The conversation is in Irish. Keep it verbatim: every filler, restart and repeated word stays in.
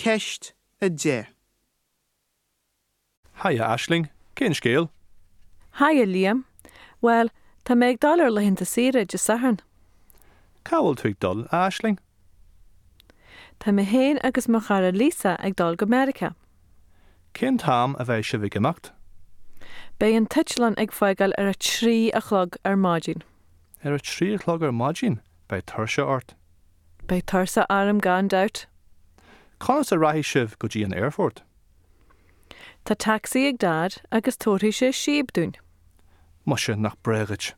Ceist a deich. Haigh a Aisling, cén scéal? Haigh a Liam. Bhuel, tá mé ag dul ar laethanta saoire Dé Sathairn. Cá bhfuil tú ag dul, a Aisling? Tá mé féin agus mo chara Lisa ag dul go Meiriceá. Cén t-am a bheidh sibh ag imeacht? Beidh an t-eitleán ag fágáil ar a trí a chlog ar maidin. Ar a trí a chlog ar maidin, beidh tuirse ort. Beidh tuirse orm gan dabht. Conas a rachaidh sibh go dtí an aerfort? Tá tacsaí ag Dad agus tabharfaidh sé síob dúinn. Muise nach breá duit.